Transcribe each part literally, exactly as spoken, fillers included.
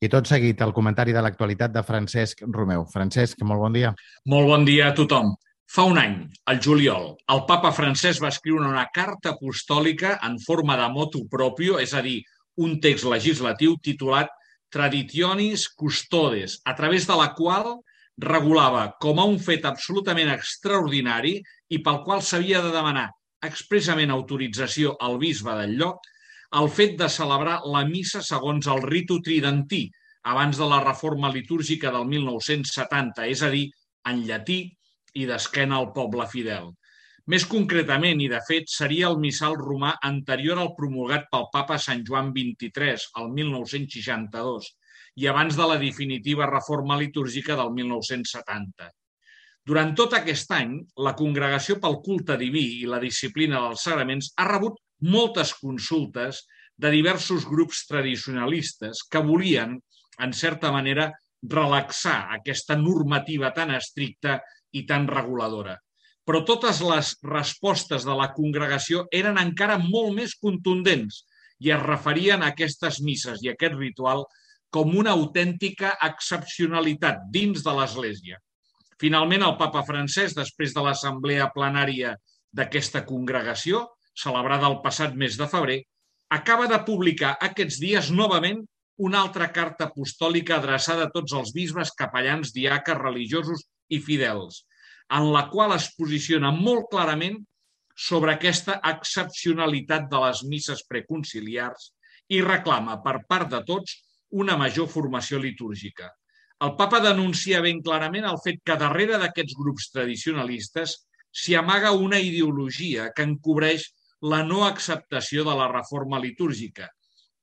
I tot seguit, el comentari de l'actualitat de Francesc Romeu. Francesc, molt bon dia. Molt bon dia a tothom. Fa un any, al juliol, el papa Francesc va escriure una carta apostòlica en forma de motu proprio, és a dir, un text legislatiu titulat Traditionis Custodes, a través de la qual regulava com a un fet absolutament extraordinari i pel qual s'havia de demanar expressament autorització al bisbe del lloc el fet de celebrar la missa segons el ritu tridentí, abans de la reforma litúrgica del mil nou-cents setanta, és a dir, en llatí i d'esquena al poble fidel. Més concretament, i de fet, seria el missal romà anterior al promulgat pel papa Sant Joan vint-i-tres, el mil nou-cents seixanta-dos, i abans de la definitiva reforma litúrgica del mil nou-cents setanta. Durant tot aquest any, la Congregació pel Culte Diví i la Disciplina dels Sagraments ha rebut moltes consultes de diversos grups tradicionalistes que volien, en certa manera, relaxar aquesta normativa tan estricta i tan reguladora. Però totes les respostes de la congregació eren encara molt més contundents i es referien a aquestes misses i a aquest ritual com una autèntica excepcionalitat dins de l'Església. Finalment, el papa Francesc, després de l'assemblea plenària d'aquesta congregació, celebrada el passat mes de febrer, acaba de publicar aquests dies novament una altra carta apostòlica adreçada a tots els bisbes, capellans, diaques, religiosos i fidels, en la qual es posiciona molt clarament sobre aquesta excepcionalitat de les misses preconciliars i reclama per part de tots una major formació litúrgica. El papa denuncia ben clarament el fet que darrere d'aquests grups tradicionalistes s'hi amaga una ideologia que encobreix la no acceptació de la reforma litúrgica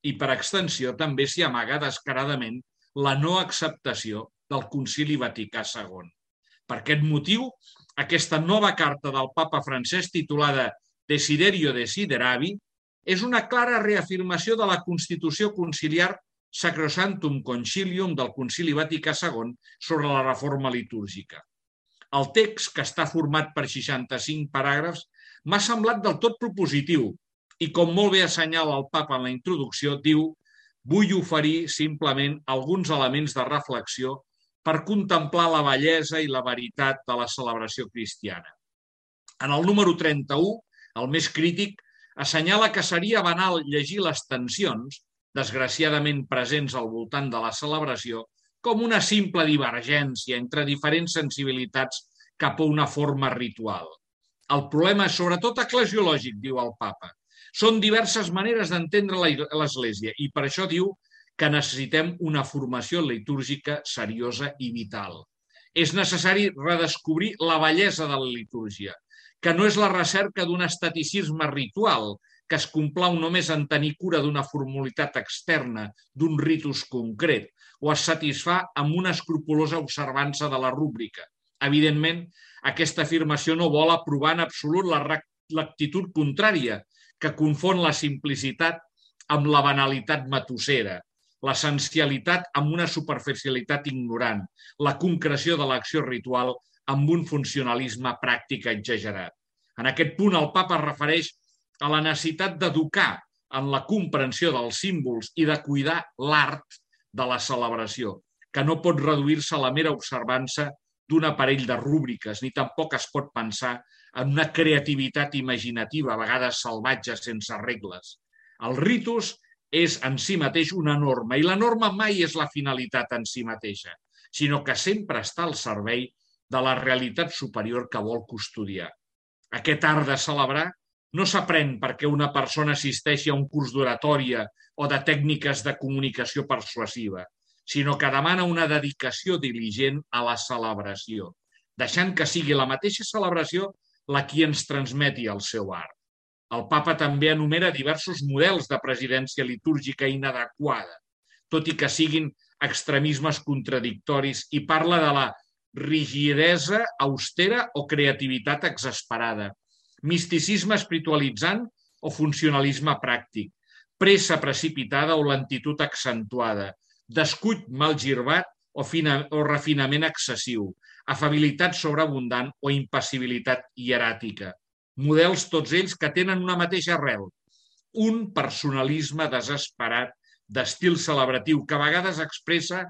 i, per extensió, també s'hi amaga descaradament la no acceptació del Concili Vaticà segon. Per aquest motiu, aquesta nova carta del papa Francesc, titulada Desiderio Desideravi, és una clara reafirmació de la Constitució Conciliar Sacrosanctum Concilium del Concili Vaticà segon sobre la reforma litúrgica. El text, que està format per seixanta-cinc paràgrafs, m'ha semblat del tot propositiu i, com molt bé assenyala el papa en la introducció, diu «Vull oferir simplement alguns elements de reflexió per contemplar la bellesa i la veritat de la celebració cristiana». En el número trenta-u, el més crític, assenyala que seria banal llegir les tensions, desgraciadament presents al voltant de la celebració, com una simple divergència entre diferents sensibilitats cap a una forma ritual. El problema és sobretot eclesiològic, diu el papa. Són diverses maneres d'entendre l'Església i per això diu que necessitem una formació litúrgica seriosa i vital. És necessari redescobrir la bellesa de la litúrgia, que no és la recerca d'un esteticisme ritual, que es complau només en tenir cura d'una formalitat externa, d'un ritus concret, o es satisfà amb una escrupolosa observança de la rúbrica. Evidentment, aquesta afirmació no vol aprovar en absolut l'actitud contrària, que confon la simplicitat amb la banalitat matussera, l'essencialitat amb una superficialitat ignorant, la concreció de l'acció ritual amb un funcionalisme pràctic exagerat. En aquest punt, el papa es refereix a la necessitat d'educar en la comprensió dels símbols i de cuidar l'art de la celebració, que no pot reduir-se a la mera observança d'un aparell de rúbriques, ni tampoc es pot pensar en una creativitat imaginativa, a vegades salvatge, sense regles. El ritus és en si mateix una norma, i la norma mai és la finalitat en si mateixa, sinó que sempre està al servei de la realitat superior que vol custodiar. Aquest art de celebrar no s'aprèn perquè una persona assisteixi a un curs d'oratòria o de tècniques de comunicació persuasiva, sinó que demana una dedicació diligent a la celebració, deixant que sigui la mateixa celebració la qui ens transmeti el seu art. El papa també enumera diversos models de presidència litúrgica inadequada, tot i que siguin extremismes contradictoris, i parla de la rigidesa austera o creativitat exasperada, misticisme espiritualitzant o funcionalisme pràctic, pressa precipitada o lentitud accentuada, descuit mal girbat o, o refinament excessiu, afabilitat sobreabundant o impassibilitat hieràtica. Models tots ells que tenen una mateixa arrel, un personalisme desesperat d'estil celebratiu que a vegades expressa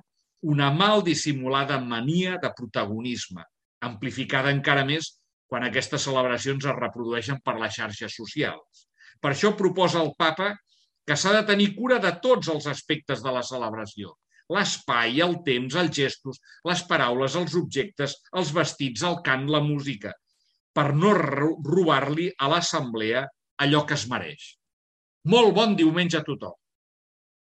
una mal dissimulada mania de protagonisme, amplificada encara més quan aquestes celebracions es reprodueixen per les xarxes socials. Per això proposa el papa que s'ha de tenir cura de tots els aspectes de la celebració: l'espai, el temps, els gestos, les paraules, els objectes, els vestits, el cant, la música, per no robar-li a l'assemblea allò que es mereix. Molt bon diumenge a tothom!